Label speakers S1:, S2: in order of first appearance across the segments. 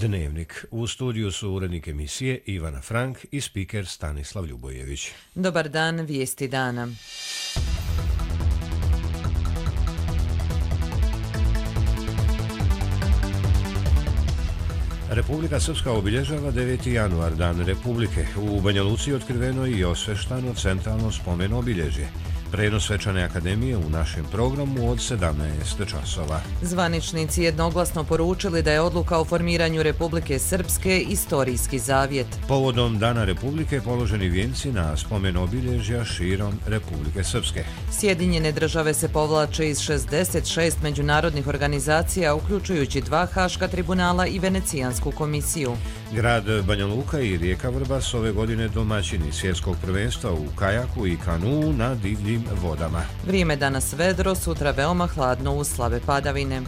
S1: Dnevnik. U studiju su urednik emisije Ivana Frank i spiker Stanislav Ljubojević.
S2: Dobar dan, vijesti dana.
S1: Republika Srpska obilježava 9. januar, Dan Republike. U Banja Luci je otkriveno i osveštano centralno spomen obilježje. Prenos svečane akademije u našem programu od 17 časova.
S2: Zvaničnici jednoglasno poručili da je odluka o formiranju Republike Srpske istorijski zavjet.
S1: Povodom Dana Republike položeni vijenci na spomen obilježja širom Republike Srpske.
S2: Sjedinjene države se povlače iz 66 međunarodnih organizacija, uključujući 2 haška tribunala i Venecijansku komisiju.
S1: Grad Banja Luka i rijeka Vrbas ove godine domaćini svjetskog prvenstva u kajaku i kanuu na divljim vodama.
S2: Vrijeme danas vedro, sutra veoma hladno uz slabe padavine.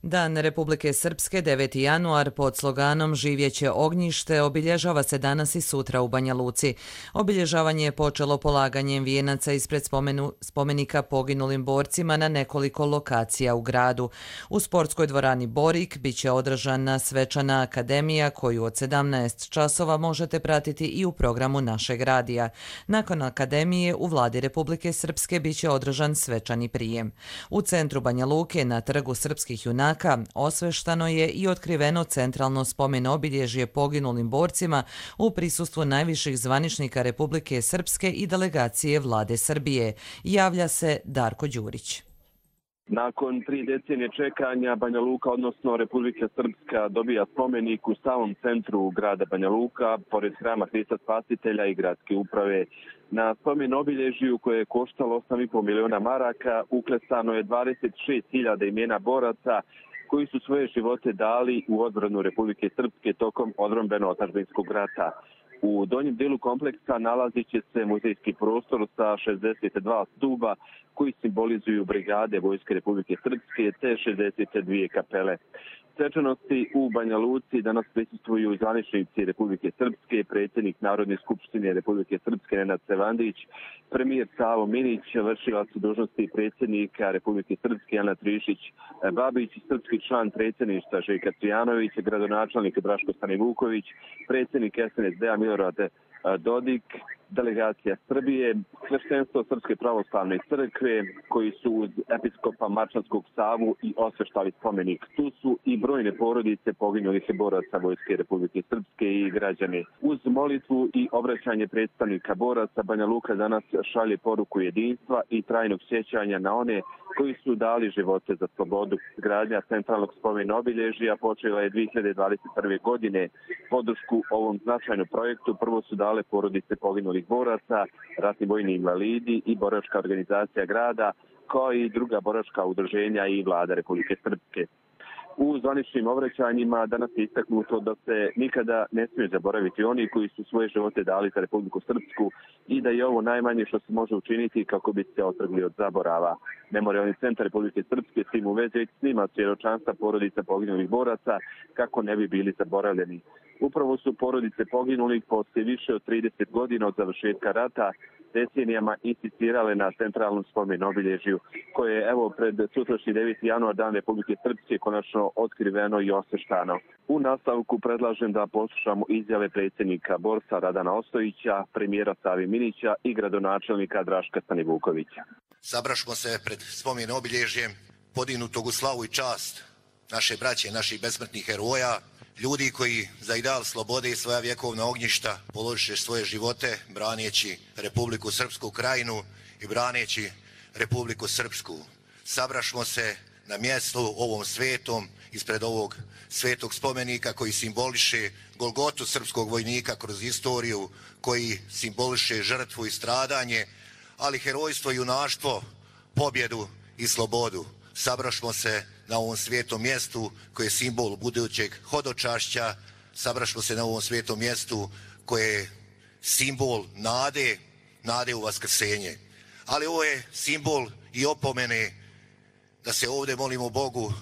S2: Dan Republike Srpske, 9. januar, pod sloganom Živjeće ognjište, obilježava se danas i sutra u Banja Luci. Obilježavanje je počelo polaganjem vijenaca ispred spomenika poginulim borcima na nekoliko lokacija u gradu. U sportskoj dvorani Borik biće održana svečana akademija koju od 17 časova možete pratiti i u programu našeg radija. Nakon akademije u vladi Republike Srpske biće održan svečani prijem. U centru Banja Luke na trgu srpskih junaka osveštano je i otkriveno centralno spomen obilježje poginulim borcima u prisustvu najviših zvaničnika Republike Srpske i delegacije vlade Srbije. Javlja se Darko Đurić.
S3: Nakon 3 decenije čekanja, Banja Luka, odnosno Republika Srpska, dobija spomenik u samom centru grada Banja Luka, pored hrama Hrista Spasitelja i gradske uprave. Na spomen obilježju koje je koštalo 8,5 miliona maraka uklesano je 26.000 imena boraca koji su svoje živote dali u odbranu Republike Srpske tokom odbrambeno-otadžbinskog rata. U donjem dijelu kompleksa nalazit će se muzejski prostor sa 62 stuba koji simbolizuju brigade Vojske Republike Srpske te 62 kapele. Svečanosti u Banja Luci danas prisustvuju zvaničnici Republike Srpske, predsjednik Narodne skupštine Republike Srpske Nenad Sevandić, premijer Savo Minić, vršilac dužnosti predsjednika Republike Srpske Ana Trišić Babić, srpski član predsjedništva Željka Cvijanović, gradonačelnik Draško Stanivuković, predsjednik SNSD-a Milorad Dodik, delegacija Srbije, sveštenstvo Srpske pravoslavne crkve koji su uz episkopa Marčanskog Savu i osveštali spomenik. Tu su i brojne porodice poginulih boraca Vojske Republike Srpske i građani. Uz molitvu i obraćanje predstavnika boraca, Banja Luka danas šalje poruku jedinstva i trajnog sjećanja na one koji su dali živote za slobodu. Gradnja centralnog spomena obilježja počela je 2021. godine. Podršku ovom značajnom projektu prvo su dale porodice poginulih boraca, ratni vojni invalidi i boračka organizacija grada, kao i druga boračka udruženja i vlada Republike Srpske. U zvaničnim obraćanjima danas je istaknuto da se nikada ne smije zaboraviti oni koji su svoje živote dali za Republiku Srpsku i da je ovo najmanje što se može učiniti kako bi se otrgli od zaborava. Memorijalni centar Republike Srpske s tim u vezi snima svjedočanstva porodica poginulih boraca kako ne bi bili zaboravljeni. Upravo su porodice poginulih poslije više od 30 godina od završetka rata decenijama insistirale na centralnom spomen obilježju, koje je evo pred sutrašnji 9. januar Dan Republike Srpske konačno otkriveno i osveštano. U nastavku predlažem da poslušamo izjave predsjednika Borsa Radana Ostojića, premijera Savi Minića i gradonačelnika Draška Stanivukovića.
S4: Sabrašmo se pred spomen obilježjem podignutog u slavu i čast naše braće, naših besmrtnih heroja, ljudi koji za ideal slobode i svoja vjekovna ognjišta položiše svoje živote braneći Republiku Srpsku krajinu i braneći Republiku Srpsku. Sabrašmo se na mjestu ovom svetom, ispred ovog svetog spomenika koji simboliše golgotu srpskog vojnika kroz istoriju, koji simboliše žrtvu i stradanje, ali herojstvo i junaštvo, pobjedu i slobodu. Sabrašmo se na ovom svijetom mjestu koje je simbol budućeg hodočašća, sabrašmo se na ovom svijetom mjestu koje je simbol nade u vaskrsenje. Ali ovo je simbol i opomene da se ovdje molimo Bogu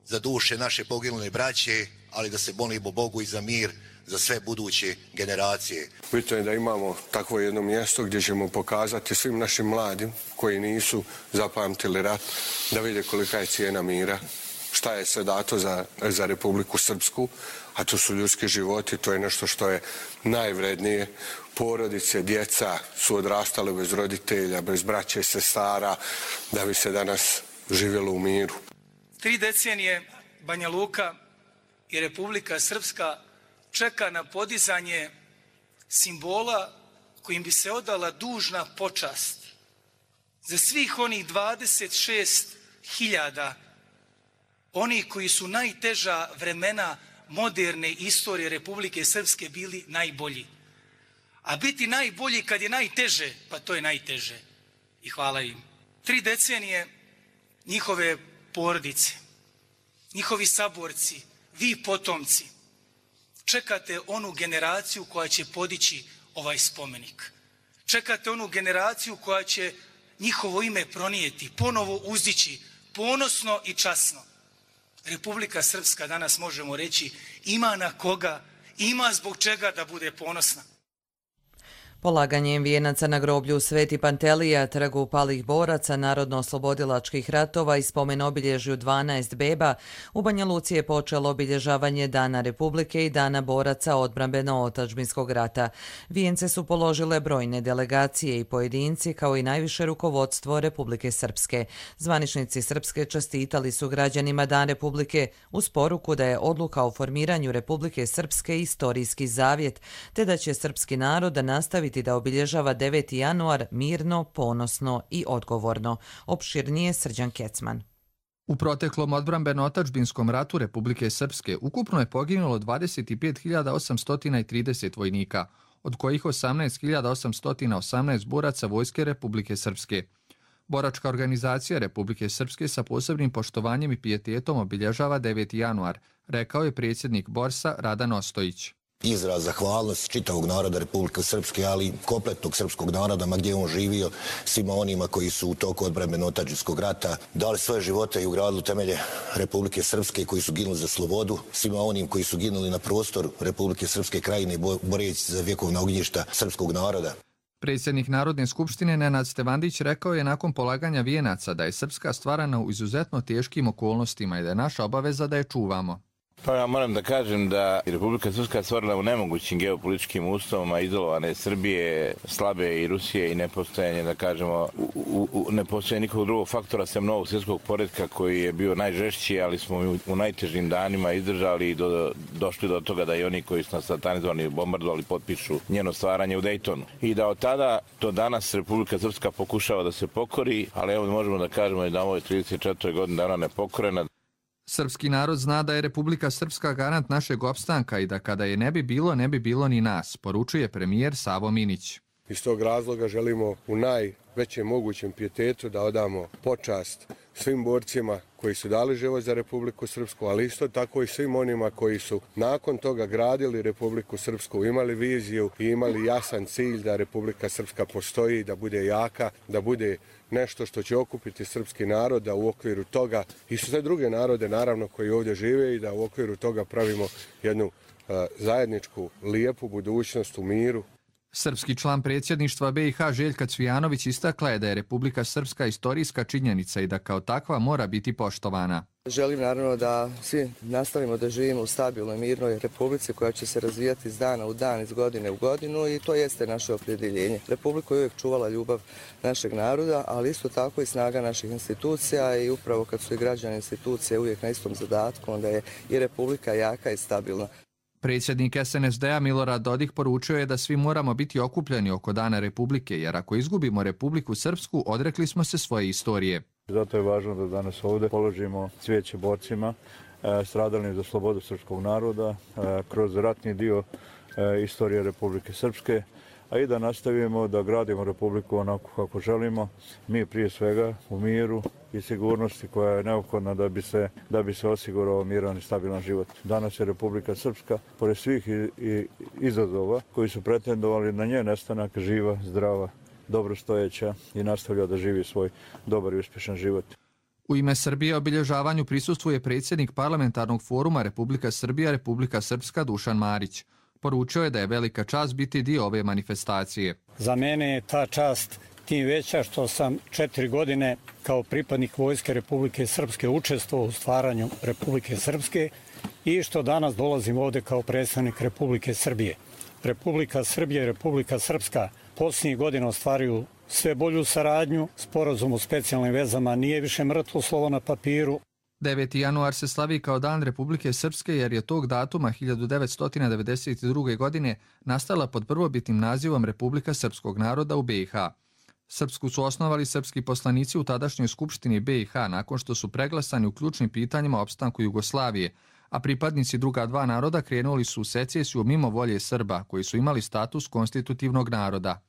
S4: za duše naše poginule braće, ali da se molimo Bogu i za mir za sve buduće generacije.
S5: Bitno je da imamo takvo jedno mjesto gdje ćemo pokazati svim našim mladim koji nisu zapamtili rat, da vide kolika je cijena mira, šta je sve dato za Republiku Srpsku, a to su ljudski životi, to je nešto što je najvrednije. Porodice, djeca su odrastale bez roditelja, bez braće i sestara, da bi se danas živjelo u miru.
S6: 3 decenije Banja Luka i Republika Srpska čeka na podizanje simbola kojim bi se odala dužna počast za svih onih 26.000 oni koji su najteža vremena moderne istorije Republike Srpske bili najbolji. A biti najbolji kad je najteže, pa to je najteže. I hvala im. 3 decenije njihove porodice, njihovi saborci, vi potomci, čekate onu generaciju koja će podići ovaj spomenik. Čekate onu generaciju koja će njihovo ime pronijeti, ponovo uzdići, ponosno i časno. Republika Srpska, danas možemo reći, ima na koga, ima zbog čega da bude ponosna.
S2: Polaganjem vijenaca na groblju Sveti Pantelija, trgu palih boraca narodno-oslobodilačkih ratova i spomen obilježju 12 beba, u Banja Luci je počelo obilježavanje Dana Republike i Dana boraca odbrambeno-otadžbinskog rata. Vijence su položile brojne delegacije i pojedinci, kao i najviše rukovodstvo Republike Srpske. Zvaničnici Srpske čestitali su građanima Dan Republike uz poruku da je odluka o formiranju Republike Srpske istorijski zavjet, te da će srpski narod nastaviti da obilježava 9. januar mirno, ponosno i odgovorno. Opširnije Srđan Kecman.
S7: U proteklom odbrambeno-otadžbinskom ratu Republike Srpske ukupno je poginulo 25.830 vojnika, od kojih 18.818 boraca Vojske Republike Srpske. Boračka organizacija Republike Srpske sa posebnim poštovanjem i pijetetom obilježava 9. januar, rekao je predsjednik Borsa Radan Ostojić.
S4: Izraz zahvalnosti čitavog naroda Republike Srpske, ali i kompletnog srpskog naroda, ma gdje on živio, svima onima koji su u toku odbrambeno-otadžbinskog rata dali svoje živote i ugradili temelje Republike Srpske, koji su ginuli za slobodu, svima onim koji su ginuli na prostoru Republike Srpske krajine boreći za vjekovna ognjišta srpskog naroda.
S7: Predsjednik Narodne skupštine Nenad Stevandić rekao je nakon polaganja vijenaca da je Srpska stvarana u izuzetno teškim okolnostima i da je naša obaveza da je čuvamo.
S8: Pa ja moram da kažem da je Republika Srpska stvorila u nemogućim geopolitičkim uslovima izolovane Srbije, slabe i Rusije i nepostojanje, da kažemo, nepostojanje nikog drugog faktora sem novog svjetskog poretka koji je bio najžešći, ali smo u najtežim danima izdržali i došli do toga da i oni koji su nas satanizovali i bombardovali potpišu njeno stvaranje u Dejtonu. I da od tada do danas Republika Srpska pokušava da se pokori, ali evo možemo da kažemo da ovo je 34. godina dana nepokorena.
S7: Srpski narod zna da je Republika Srpska garant našeg opstanka i da kada je ne bi bilo ni nas, poručuje premijer Savo Minić.
S5: Iz tog razloga želimo u najvećem mogućem pijetetu da odamo počast svim borcima koji su dali život za Republiku Srpsku, ali isto tako i svim onima koji su nakon toga gradili Republiku Srpsku, imali viziju i imali jasan cilj da Republika Srpska postoji, da bude jaka, da bude nešto što će okupiti srpski narod, da u okviru toga i sve druge narode naravno koji ovdje žive i da u okviru toga pravimo jednu zajedničku lijepu budućnost u miru.
S7: Srpski član predsjedništva BiH Željka Cvijanović istakla je da je Republika Srpska istorijska činjenica i da kao takva mora biti poštovana.
S9: Želim naravno da svi nastavimo da živimo u stabilnoj, mirnoj republici koja će se razvijati iz dana u dan, iz godine u godinu i to jeste naše opredjeljenje. Republika je uvijek čuvala ljubav našeg naroda, ali isto tako i snaga naših institucija i upravo kad su i građani institucije uvijek na istom zadatku, onda je i Republika jaka i stabilna.
S7: Predsjednik SNSD-a Milorad Dodik poručio je da svi moramo biti okupljeni oko Dana Republike, jer ako izgubimo Republiku Srpsku, odrekli smo se svoje istorije.
S10: Zato je važno da danas ovdje položimo cvijeće borcima stradalim za slobodu srpskog naroda kroz ratni dio istorije Republike Srpske, a i da nastavimo da gradimo Republiku onako kako želimo, mi prije svega u miru i sigurnosti koja je neophodna da bi se osigurao miran i stabilan život. Danas je Republika Srpska, pored svih izazova koji su pretendovali na njen nestanak, živa, zdrava, dobrostojeća i nastavlja da živi svoj dobar i uspješan život.
S7: U ime Srbije obilježavanju prisustvuje predsjednik Parlamentarnog foruma Republika Srbija, Republika Srpska Dušan Marić. Poručio je da je velika čast biti dio ove manifestacije.
S11: Za mene je ta čast tim veća što sam 4 godine kao pripadnik Vojske Republike Srpske učestvovao u stvaranju Republike Srpske i što danas dolazim ovdje kao predstavnik Republike Srbije. Republika Srbija i Republika Srpska posljednjih godina ostvaruju sve bolju saradnju, sporazum o specijalnim vezama nije više mrtvo slovo na papiru.
S7: 9. januar se slavi kao Dan Republike Srpske jer je tog datuma 1992. godine nastala pod prvobitnim nazivom Republika Srpskog naroda u BiH. Srpsku su osnovali srpski poslanici u tadašnjoj skupštini BiH nakon što su preglasani u ključnim pitanjima opstanku Jugoslavije, a pripadnici druga dva naroda krenuli su u secesiju mimo volje Srba, koji su imali status konstitutivnog naroda.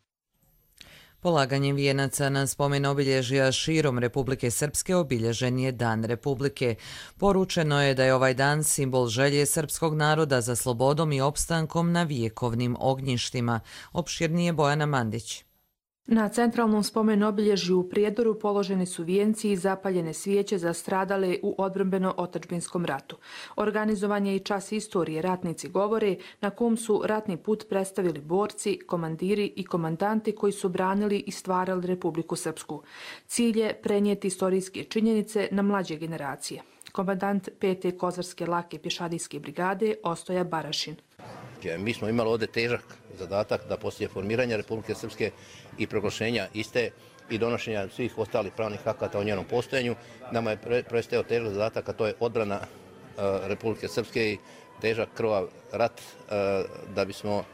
S2: Polaganjem vijenaca na spomen obilježja širom Republike Srpske obilježen je Dan Republike. Poručeno je da je ovaj dan simbol želje srpskog naroda za slobodom i opstankom na vjekovnim ognjištima. Opširnije Bojana Mandić.
S12: Na centralnom spomen obilježju u Prijedoru položeni su vijenci i zapaljene svijeće za stradale u odbrambeno-otadžbinskom ratu. Organizovan je i čas istorije Ratnici govore, na kom su ratni put predstavili borci, komandiri i komandanti koji su branili i stvarali Republiku Srpsku. Cilj je prenijeti istorijske činjenice na mlađe generacije. Komandant 5. Kozarske lake pješadijske brigade Ostoja Barašin.
S13: Mi smo imali ovdje težak zadatak da poslije formiranja Republike Srpske i proglašenja iste i donošenja svih ostalih pravnih akata o njenom postojanju, nama je predstavio težak zadatak, a to je odbrana Republike Srpske i težak krvav rat da bismo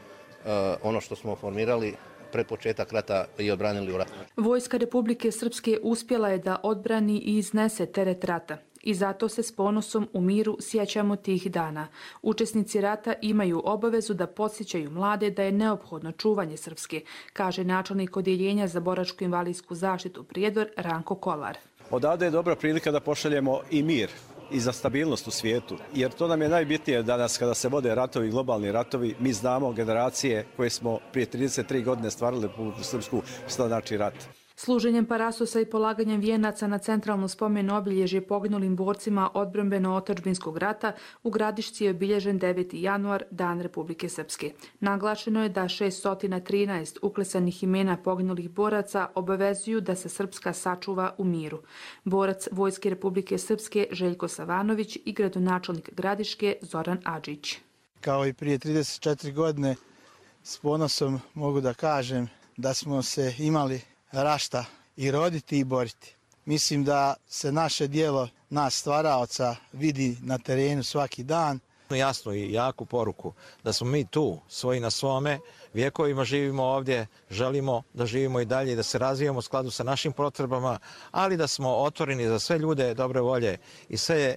S13: ono što smo formirali pred početak rata i odbranili u ratu.
S12: Vojska Republike Srpske uspjela je da odbrani i iznese teret rata. I zato se s ponosom u miru sjećamo tih dana. Učesnici rata imaju obavezu da podsjećaju mlade da je neophodno čuvanje Srpske, kaže načelnik odjeljenja za boračko-invalidsku zaštitu Prijedor Ranko Kolar.
S14: Odavde je dobra prilika da pošaljemo i mir i za stabilnost u svijetu, jer to nam je najbitnije danas kada se vode ratovi, globalni ratovi. Mi znamo generacije koje smo prije 33 godine stvarali Republiku Srpsku, što znači rat.
S12: Služenjem parasosa i polaganjem vijenaca na centralno spomen obilježje poginulim borcima odbrambeno-otadžbinskog rata u Gradišci je obilježen 9. januar, Dan Republike Srpske. Naglašeno je da 613 uklesanih imena poginulih boraca obavezuju da se Srpska sačuva u miru. Borac Vojske Republike Srpske Željko Savanović i gradonačelnik Gradiške Zoran Adžić.
S15: Kao i prije 34 godine s ponosom mogu da kažem da smo se imali rašta i roditi i boriti. Mislim da se naše dijelo, nas stvaraoca, vidi na terenu svaki dan.
S16: Jasnu i jaku poruku da smo mi tu, svoji na svome, vjekovima živimo ovdje, želimo da živimo i dalje i da se razvijamo u skladu sa našim potrebama, ali da smo otvoreni za sve ljude dobre volje i sve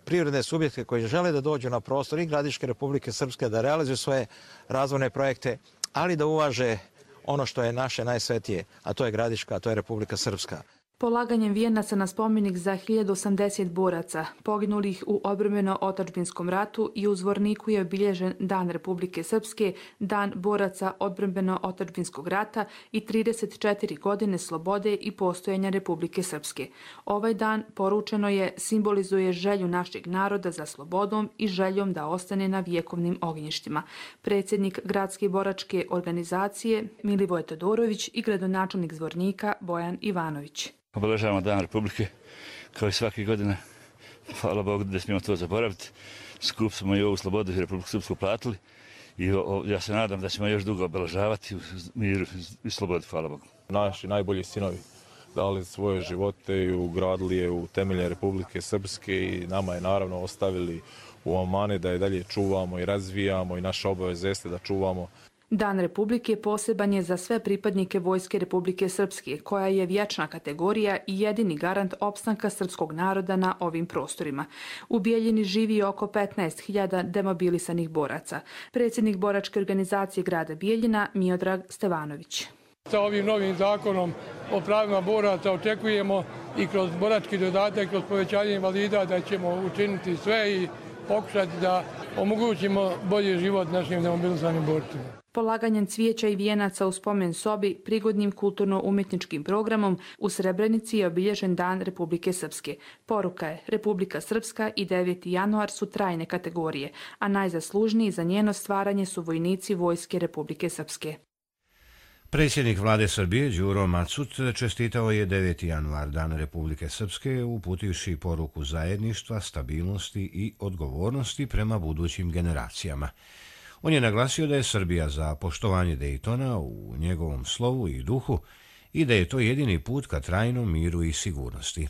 S16: privredne subjekte koji žele da dođu na prostor i Gradiške Republike Srpske, da realizuju svoje razvojne projekte, ali da uvaže ono što je naše najsvetije, a to je Gradiška, a to je Republika Srpska.
S12: Polaganjem vijenaca na spomenik za 1080 boraca poginulih u odbrambeno-otadžbinskom ratu i u Zvorniku je obilježen Dan Republike Srpske, Dan boraca odbrambeno-otadžbinskog rata i 34 godine slobode i postojanja Republike Srpske. Ovaj dan, poručeno je, simbolizuje želju našeg naroda za slobodom i željom da ostane na vjekovnim ognjištima. Predsjednik Gradske boračke organizacije Milivoje Todorović i gradonačelnik Zvornika Bojan Ivanović.
S17: Obeležavamo Dan Republike kao i svake godine. Hvala Bogu da smijemo to zaboraviti. Skup smo i ovu slobodu i Republiku Srpsku platili i ja se nadam da ćemo još dugo obeležavati u miru i slobodi. Hvala Bogu.
S18: Naši najbolji sinovi dali svoje živote i ugradili je u temelje Republike Srpske i nama je naravno ostavili u amane da je dalje čuvamo i razvijamo i naša obaveza jeste da čuvamo.
S12: Dan Republike poseban je za sve pripadnike Vojske Republike Srpske, koja je vječna kategorija i jedini garant opstanka srpskog naroda na ovim prostorima. U Bijeljini živi oko 15.000 demobilisanih boraca. Predsjednik boračke organizacije grada Bijeljina Miodrag Stevanović.
S19: Sa ovim novim zakonom o pravima boraca očekujemo i kroz borački dodatak, kroz povećanje invalida da ćemo učiniti sve i pokušati da omogućimo bolji život našim demobilisanim borcima.
S12: Polaganjem cvijeća i vijenaca u spomen sobi, prigodnim kulturno-umjetničkim programom u Srebrenici je obilježen Dan Republike Srpske. Poruka je, Republika Srpska i 9. januar su trajne kategorije, a najzaslužniji za njeno stvaranje su vojnici Vojske Republike Srpske.
S1: Predsjednik vlade Srbije Đuro Macut čestitao je 9. januar, Dan Republike Srpske, uputivši poruku zajedništva, stabilnosti i odgovornosti prema budućim generacijama. On je naglasio da je Srbija za poštovanje Dejtona u njegovom slovu i duhu i da je to jedini put ka trajnom miru i sigurnosti.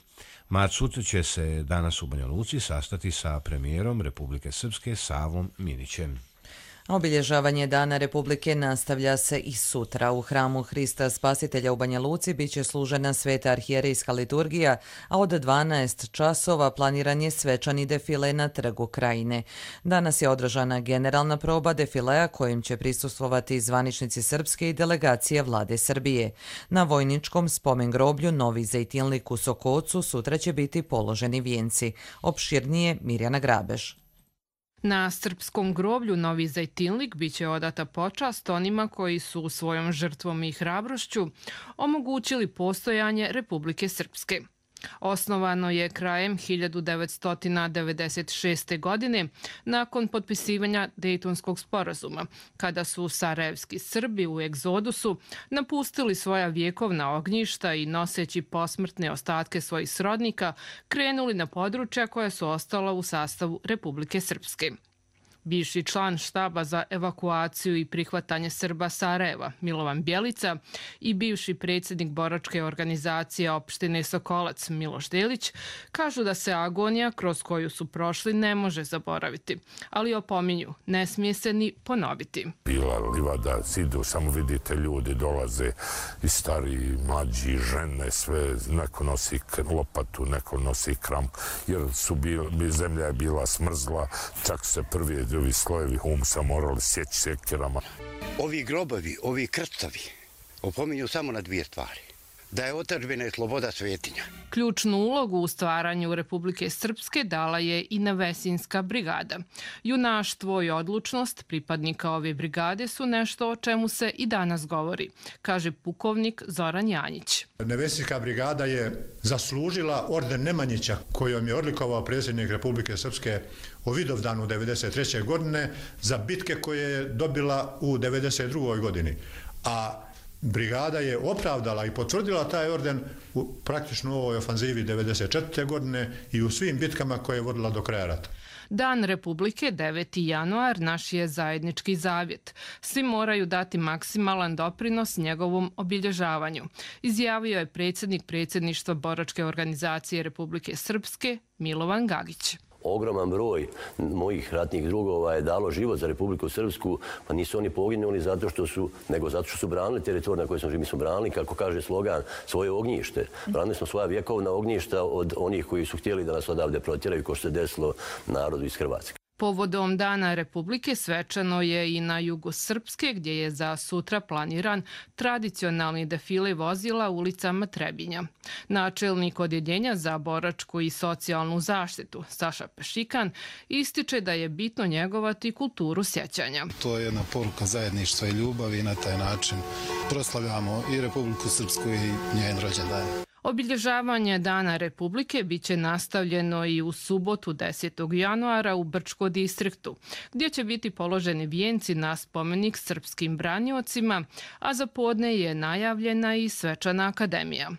S1: Macut će se danas u Banja Luci sastati sa premijerom Republike Srpske Savom Minićem.
S2: Obilježavanje Dana Republike nastavlja se i sutra. U hramu Hrista Spasitelja u Banja Luci biće služena sveta arhijerejska liturgija, a od 12 časova planiran je svečani defile na Trgu Krajine. Danas je održana generalna proba defilea kojim će prisustvovati zvaničnici srpske i delegacije vlade Srbije. Na vojničkom spomen groblju Novi Zejtinlik u Sokocu sutra će biti položeni vijenci. Opširnije Mirjana Grabež.
S20: Na srpskom groblju Novi Zejtinlik biće odata počast onima koji su svojom žrtvom i hrabrošću omogućili postojanje Republike Srpske. Osnovano je krajem 1996. godine nakon potpisivanja Dejtonskog sporazuma, kada su sarajevski Srbi u egzodusu napustili svoja vjekovna ognjišta i noseći posmrtne ostatke svojih srodnika krenuli na područja koja su ostala u sastavu Republike Srpske. Bivši član štaba za evakuaciju i prihvatanje Srba Sarajeva, Milovan Bjelica, i bivši predsjednik boračke organizacije opštine Sokolac, Miloš Delić, kažu da se agonija kroz koju su prošli ne može zaboraviti, ali opominju, ne smije se ni ponoviti.
S21: Bila livada, zidu, samo vidite ljudi dolaze i stari, mlađi, žene, sve, neko nosi lopatu, neko nosi kramp, jer zemlja je bila smrzla, čak se prvi ovi slojevi humusa morali sjeći sekirama.
S22: Ovi grobovi, ovi krstovi opominju samo na dvije stvari. Da je otadžbina i sloboda svetinja.
S20: Ključnu ulogu u stvaranju Republike Srpske dala je i Nevesinska brigada. Junaštvo i odlučnost pripadnika ove brigade su nešto o čemu se i danas govori, kaže pukovnik Zoran Janjić.
S23: Nevesinska brigada je zaslužila orden Nemanjića, kojom je odlikovao predsjednik Republike Srpske u Vidovdanu 1993. godine za bitke koje je dobila u 1992. godini. A brigada je opravdala i potvrdila taj orden u praktično ovoj ofanzivi 1994. godine i u svim bitkama koje je vodila do kraja rata.
S20: Dan Republike, 9. januar, naš je zajednički zavjet. Svi moraju dati maksimalan doprinos njegovom obilježavanju, izjavio je predsjednik predsjedništva boračke organizacije Republike Srpske Milovan Gagić.
S24: Ogroman broj mojih ratnih drugova je dalo život za Republiku Srpsku, pa nisu oni poginuli nego zato što su branili teritorij na kojoj smo živjeli. Mi smo branili, kako kaže slogan, svoje ognjište. Branili smo svoja vjekovna ognjišta od onih koji su htjeli da nas odavde protjeraju, kao što se desilo narodu iz Hrvatske.
S20: Povodom Dana Republike svečano je i na jugu Srpske, gdje je za sutra planiran tradicionalni defile vozila ulicama Trebinja. Načelnik Odjeljenja za boračku i socijalnu zaštitu, Saša Pešikan, ističe da je bitno njegovati kulturu sjećanja.
S25: To je jedna poruka zajedništva i ljubavi i na taj način proslavljamo i Republiku Srpsku i njen rođendan.
S20: Obilježavanje Dana Republike biće nastavljeno i u subotu 10. januara u Brčko distriktu, gdje će biti položeni vijenci na spomenik srpskim braniocima, a za podne je najavljena i svečana akademija.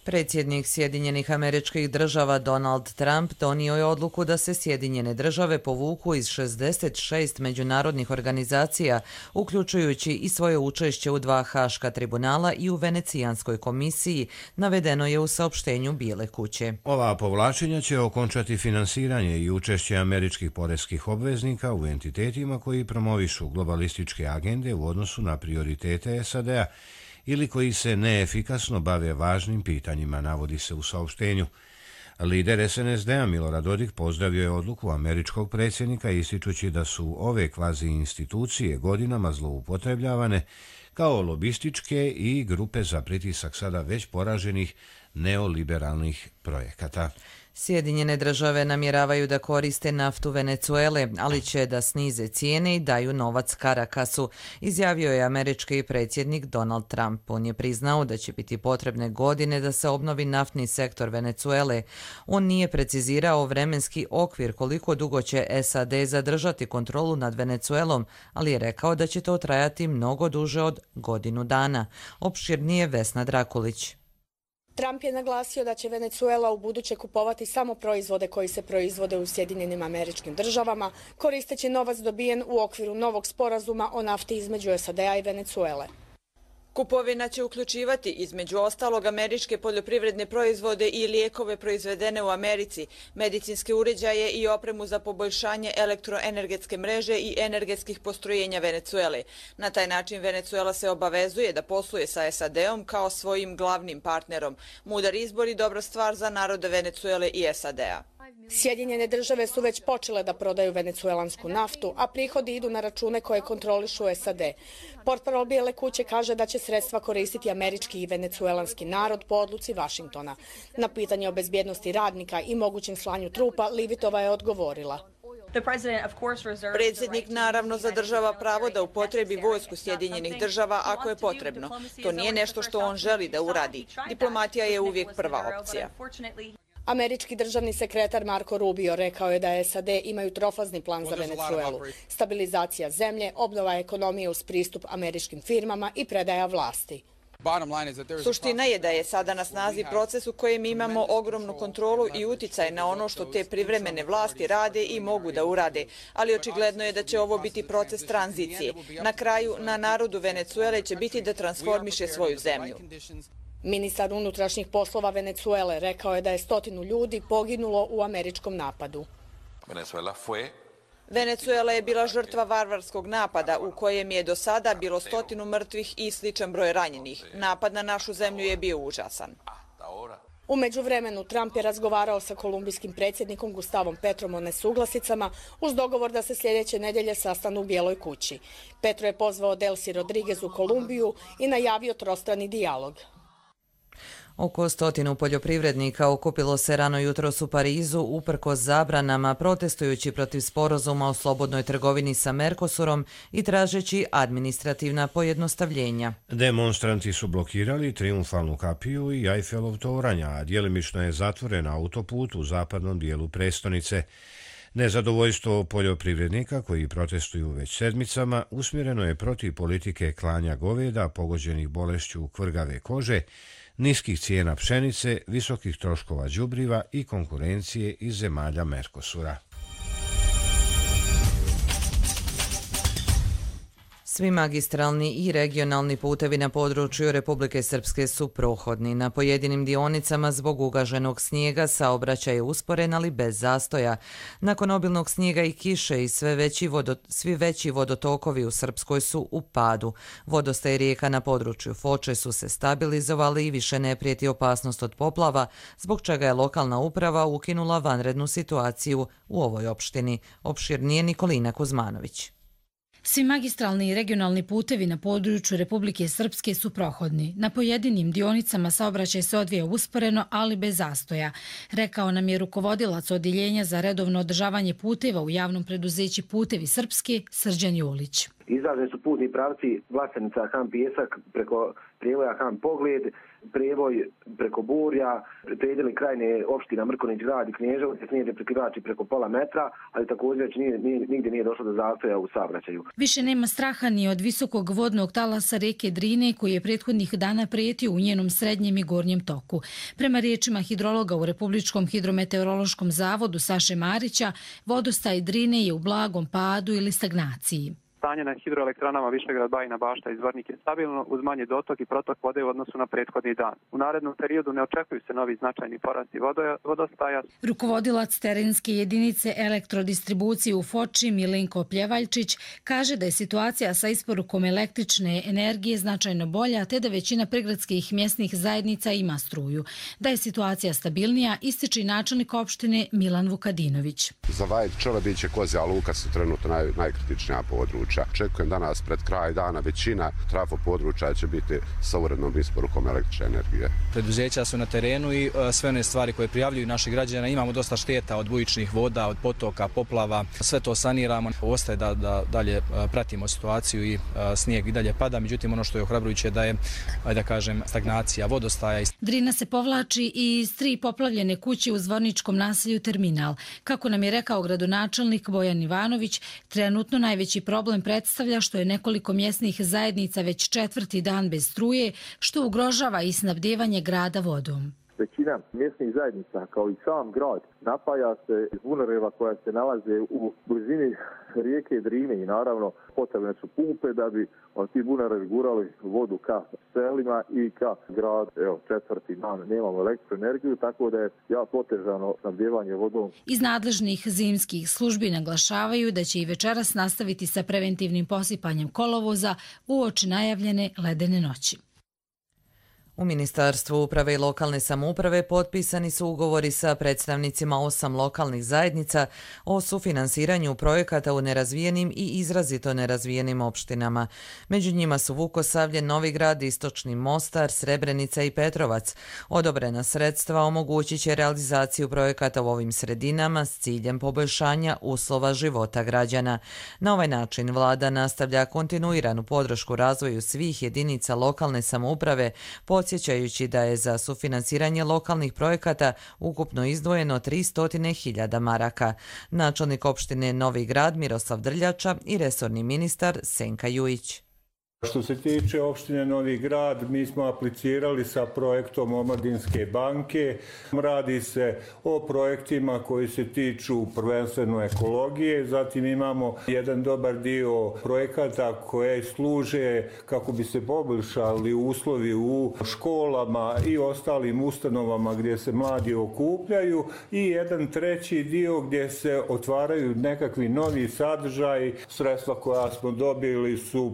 S2: Predsjednik Sjedinjenih Američkih Država Donald Trump donio je odluku da se Sjedinjene Države povuku iz 66 međunarodnih organizacija, uključujući i svoje učešće u 2 haška tribunala i u Venecijanskoj komisiji, navedeno je u saopštenju Bijele kuće.
S1: Ova povlačenja će okončati finansiranje i učešće američkih poreskih obveznika u entitetima koji promovišu globalističke agende u odnosu na prioritete SAD-a ili koji se neefikasno bave važnim pitanjima, navodi se u saopštenju. Lider SNSD-a Milorad Dodik pozdravio je odluku američkog predsjednika ističući da su ove kvazi institucije godinama zloupotrebljavane kao lobističke i grupe za pritisak sada već poraženih neoliberalnih projekata.
S2: Sjedinjene države namjeravaju da koriste naftu Venecuele, ali će da snize cijene i daju novac Caracasu, izjavio je američki predsjednik Donald Trump. On je priznao da će biti potrebne godine da se obnovi naftni sektor Venecuele. On nije precizirao vremenski okvir koliko dugo će SAD zadržati kontrolu nad Venecuelom, ali je rekao da će to trajati mnogo duže od godinu dana. Opširnije Vesna Drakulić.
S3: Trump je naglasio da će Venecuela u buduće kupovati samo proizvode koji se proizvode u Sjedinjenim Američkim Državama, koristeći novac dobijen u okviru novog sporazuma o nafti između SAD-a i Venecuele.
S4: Kupovina će uključivati, između ostalog, američke poljoprivredne proizvode i lijekove proizvedene u Americi, medicinske uređaje i opremu za poboljšanje elektroenergetske mreže i energetskih postrojenja Venecuele. Na taj način Venecuela se obavezuje da posluje sa SAD-om kao svojim glavnim partnerom. Mudar izbor i dobra stvar za narode Venecuele i SAD-a.
S3: Sjedinjene države su već počele da prodaju venecuelansku naftu, a prihodi idu na račune koje kontrolišu SAD. Portparol Bijele kuće kaže da će sredstva koristiti američki i venecuelanski narod po odluci Vašingtona. Na pitanje o bezbjednosti radnika i mogućem slanju trupa, Livitova je odgovorila.
S4: Predsjednik naravno zadržava pravo da upotrebi vojsku Sjedinjenih država ako je potrebno. To nije nešto što on želi da uradi. Diplomatija je uvijek prva opcija.
S3: Američki državni sekretar Marco Rubio rekao je da SAD imaju trofazni plan za Venecuelu. Stabilizacija zemlje, obnova ekonomije uz pristup američkim firmama i predaja vlasti.
S4: Suština je da je sada na snazi proces u kojem imamo ogromnu kontrolu i uticaj na ono što te privremene vlasti rade i mogu da urade, ali očigledno je da će ovo biti proces tranzicije. Na kraju, na narodu Venecuele će biti da transformiše svoju zemlju.
S3: Ministar unutrašnjih poslova Venecuele rekao je da je 100 ljudi poginulo u američkom napadu.
S4: Venecuela je bila žrtva varvarskog napada u kojem je do sada bilo 100 mrtvih i sličan broj ranjenih. Napad na našu zemlju je bio užasan.
S3: U međuvremenu Trump je razgovarao sa kolumbijskim predsjednikom Gustavom Petrom o nesuglasicama uz dogovor da se sljedeće nedjelje sastanu u Bijeloj kući. Petro je pozvao Delcy Rodriguez u Kolumbiju i najavio trostrani dijalog.
S2: Oko 100 poljoprivrednika okupilo se rano jutros u Parizu uprkos zabranama, protestujući protiv sporazuma o slobodnoj trgovini sa Mercosurom i tražeći administrativna pojednostavljenja.
S1: Demonstranti su blokirali Triumfalnu kapiju i Eiffelov toranj, a djelimično je zatvoren autoput u zapadnom dijelu prestonice. Nezadovoljstvo poljoprivrednika koji protestuju već sedmicama usmjereno je protiv politike klanja goveda pogođenih bolešću kvrgave kože, niskih cijena pšenice, visokih troškova đubriva i konkurencije iz zemalja Mercosura.
S2: Svi magistralni i regionalni putevi na području Republike Srpske su prohodni. Na pojedinim dionicama zbog ugaženog snijega saobraćaj je usporen, ali bez zastoja. Nakon obilnog snijega i kiše i svi veći vodotokovi u Srpskoj su u padu. Vodostaj rijeka na području Foče su se stabilizovali i više ne prijeti opasnost od poplava, zbog čega je lokalna uprava ukinula vanrednu situaciju u ovoj opštini. Opširnije Nikolina Kuzmanović.
S5: Svi magistralni i regionalni putevi na području Republike Srpske su prohodni. Na pojedinim dionicama saobraćaj se odvija usporeno, ali bez zastoja. Rekao nam je rukovodilac odjeljenja za redovno održavanje puteva u javnom preduzeću Putevi Srpske, Srđan Julić.
S6: Izraženi su putni pravci Vlasenica, Han Pijesak, preko prijevoja Han Pogled, prijevoj preko Burja, predjeli krajne opština Mrkonić grad i Knježevo, snijede prekrivači preko pola metra, ali također nigdje nije došlo do zastoja u saobraćaju.
S5: Više nema straha ni od visokog vodnog talasa reke Drine koji je prethodnih dana prijetio u njenom srednjem i gornjem toku. Prema riječima hidrologa u Republičkom hidrometeorološkom zavodu Saše Marića, vodostaj Drine je u blagom padu ili stagnaciji.
S8: Stanje na hidroelektranama Višegrad, Bajina Bašta i Zvornik je stabilno uz manji dotok i protok vode u odnosu na prethodni dan. U narednom periodu ne očekuju se novi značajni porasti vodostaja.
S5: Rukovodilac terenske jedinice elektrodistribucije u Foči Milenko Pljevaljčić kaže da je situacija sa isporukom električne energije značajno bolja, te da većina prigradskih mjesnih zajednica ima struju. Da je situacija stabilnija, ističe i načelnik opštine Milan Vukadinović.
S26: Za Vajet, Čelebić i Kozja Luka su trenutno najkritičnija područja.
S7: područja. Očekujem danas pred kraj dana većina trafo područja će biti sa urednom isporukom električne energije.
S9: Preduzeća su na terenu i sve one stvari koje prijavljuju naši građani. Imamo dosta šteta od bujičnih voda, od potoka, poplava. Sve to saniramo. Ostaje da dalje pratimo situaciju i snijeg i dalje pada. Međutim, ono što je ohrabrujuće da je, da kažem, stagnacija vodostaja.
S5: Drina se povlači i iz 3 poplavljene kuće u Zvorničkom naselju Terminal. Kako nam je rekao gradonačelnik Bojan Ivanović, trenutno najveći problem predstavlja što je nekoliko mjesnih zajednica već 4. dan bez struje, što ugrožava i snabdijevanje grada vodom.
S10: Većina mjesnih zajednica, kao i sam grad, napaja se iz bunereva koja se nalaze u blizini rijeke Drine i naravno potrebne su pumpe da bi ti bunerevi gurali vodu ka selima i ka gradu. Evo, 4. dan nemamo električnu energiju, tako da je jako otežano snabdijevanje vodom.
S5: Iz nadležnih zimskih službi naglašavaju da će i večeras nastaviti sa preventivnim posipanjem kolovoza uoči najavljene ledene noći.
S2: U Ministarstvu uprave i lokalne samouprave potpisani su ugovori sa predstavnicima 8 lokalnih zajednica o sufinansiranju projekata u nerazvijenim i izrazito nerazvijenim opštinama. Među njima su Vukosavlje, Novi Grad, Istočni Mostar, Srebrenica i Petrovac. Odobrena sredstva omogućit će realizaciju projekata u ovim sredinama s ciljem poboljšanja uslova života građana. Na ovaj način vlada nastavlja kontinuiranu podršku razvoju svih jedinica lokalne samouprave, podsjećajući da je za sufinansiranje lokalnih projekata ukupno izdvojeno 300.000 maraka. Načelnik opštine Novi Grad Miroslav Drljača i resorni ministar Senka Jujić.
S11: Što se tiče opštine Novi Grad, mi smo aplicirali sa projektom Omladinske banke. Radi se o projektima koji se tiču prvenstveno ekologije, zatim imamo jedan dobar dio projekata koje služe kako bi se poboljšali uslovi u školama i ostalim ustanovama gdje se mladi okupljaju i jedan treći dio gdje se otvaraju nekakvi novi sadržaji. Sredstva koja smo dobili su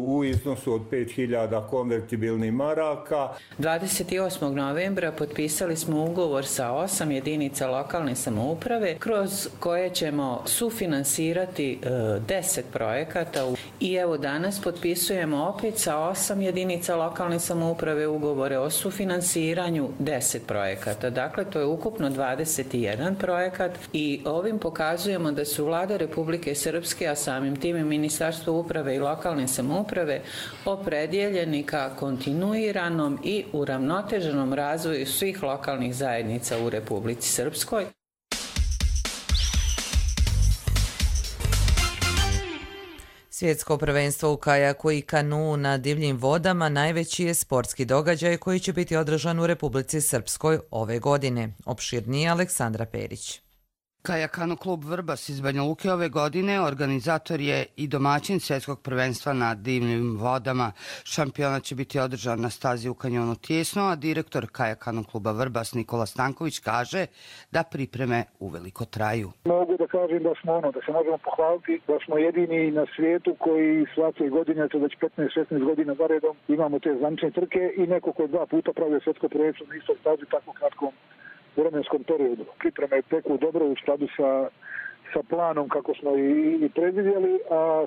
S11: u iznosu od 5.000 konvertibilnih maraka.
S13: 28. novembra potpisali smo ugovor sa 8 jedinica lokalne samouprave kroz koje ćemo sufinansirati 10 projekata. I evo danas potpisujemo opet sa 8 jedinica lokalne samouprave ugovore o sufinansiranju 10 projekata. Dakle, to je ukupno 21 projekat i ovim pokazujemo da su vlada Republike Srpske, a samim tim i Ministarstvo uprave i lokalne samouprave opredjeljeni ka kontinuiranom i uravnoteženom razvoju svih lokalnih zajednica u Republici Srpskoj.
S2: Svjetsko prvenstvo u kajaku i kanuu na divljim vodama najveći je sportski događaj koji će biti održan u Republici Srpskoj ove godine. Opširnije Aleksandra Perić.
S26: Kajakano klub Vrbas iz Banja Luke ove godine organizator je i domaćin svjetskog prvenstva na divljim vodama. Šampionat će biti održan na stazi u kanjonu Tijesno, a direktor Kajakano kluba Vrbas Nikola Stanković kaže da pripreme uveliko traju.
S27: Mogu da kažem da smo da se možemo pohvaliti da smo jedini na svijetu koji svake godine, to već 15-16 godina zaredom, imamo te zvanične trke i neko koji 2 puta pravio svjetsko prvenstvo na istoj stazi tako kratkom vremenskom periodu. Pripreme teku dobro u skladu sa planom kako smo i predvidjeli, a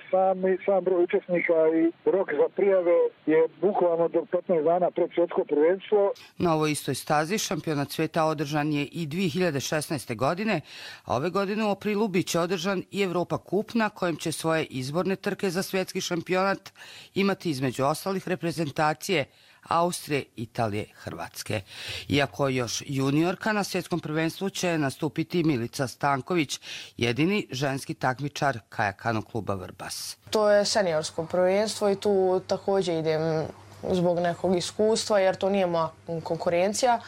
S27: sam broj učesnika i rok za prijave je bukvalno do 15 dana pred svjetsko prvenstvo.
S26: Na ovoj istoj stazi šampionat svijeta održan je i 2016. godine, a ove godine u aprilu bit će održan i Evropa Kup na kojem će svoje izborne trke za svjetski šampionat imati između ostalih reprezentacije Austrije, Italije, Hrvatske. Iako još juniorka na svjetskom prvenstvu će nastupiti Milica Stanković, jedini ženski takmičar Kajakano kluba Vrbas.
S28: To je seniorsko prvenstvo i tu također idem zbog nekog iskustva jer to nije moja konkurencija.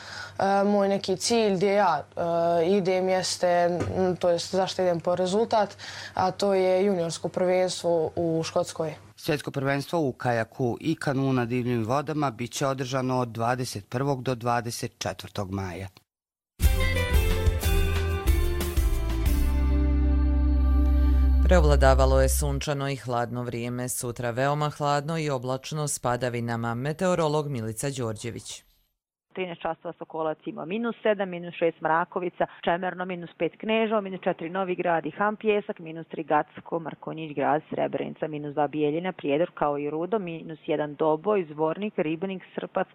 S28: Moj neki cilj gdje ja idem jeste, to je zašto idem po rezultat, a to je juniorsko prvenstvo u Škotskoj.
S26: Svjetsko prvenstvo u kajaku i kanuu na divljim vodama bit će održano od 21. do 24. maja.
S2: Preovladavalo je sunčano i hladno vrijeme, sutra veoma hladno i oblačno s padavinama. Meteorolog Milica Đorđević.
S12: 13 časova Sokolac ima -7, -6 Mrakovica, Čemerno -5 Kneževo, -4 Novi Grad i Han Pjesak, -3 Gacko, Markonjić Grad, Srebrenica, -2 Bijeljina, Prijedor kao i Rudo, -1 Doboj, Zvornik, Ribnik, Srpac,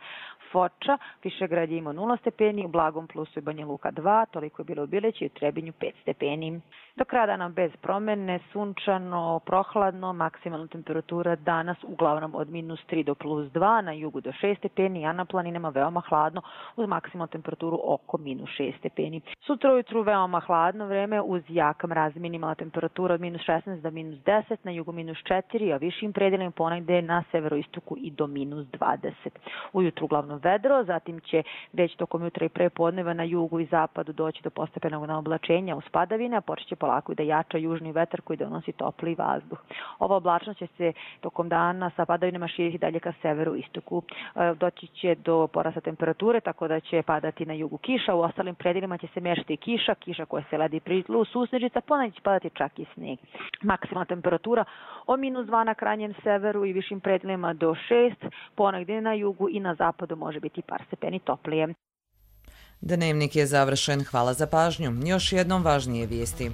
S12: Foča, Višegrad je imao 0 stepeni, u blagom plusu i Banja Luka 2, toliko je bilo u Bileći i u Trebinju 5 stepeni. Do kraja dana bez promene, sunčano, prohladno, maksimalna temperatura danas uglavnom od -3 do +2, na jugu do 6 stepeni, a na planinama veoma hladno uz maksimalnu temperaturu oko -6 stepeni. Sutra ujutru veoma hladno vreme uz jak mraz, minimalna temperatura od -16 do -10, na jugu -4, a višim predelima ponegde na severoistoku i do -20. Ujutru uglavnom vedro, zatim će već tokom jutra i prepodneva na jugu i zapadu doći do postepenog naoblačenja uz padavine, a počeće polako i da jača južni vetar koji donosi topli vazduh. Ova oblačnost će se tokom dana sa padavinama širiti dalje ka severu istoku. Doći će do porasta temperature, tako da će padati na jugu kiša, u ostalim predelima će se mešati kiša koja se ledi pri tlu, susnežica, ponegdje će padati čak i sneg. Maksimalna temperatura od -2 na krajnjem severu i višim predelima do 6, ponegdje na jugu i na zapadu može biti par stepeni toplije.
S2: Dnevnik je završen. Hvala za pažnju. Još jednom važnije vijesti.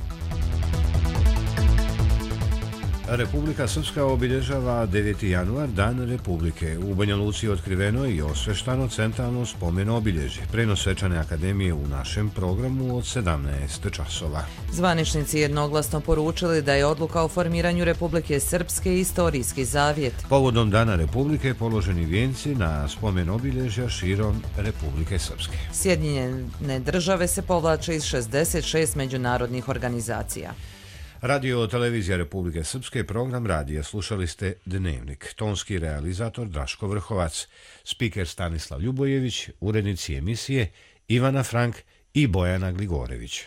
S1: Republika Srpska obilježava 9. januar, Dan Republike. U Banja Luci je otkriveno i osveštano centralno spomen obilježje. Prenos svečane akademije u našem programu od 17 časova.
S2: Zvaničnici jednoglasno poručili da je odluka o formiranju Republike Srpske istorijski zavjet.
S1: Povodom Dana Republike položeni vijenci na spomen obilježja širom Republike Srpske.
S2: Sjedinjene države se povlače iz 66 međunarodnih organizacija.
S1: Radio televizija Republike Srpske, program radija. Slušali ste Dnevnik. Tonski realizator Draško Vrhovac, spiker Stanislav Ljubojević, urednici emisije Ivana Frank i Bojana Gligorević.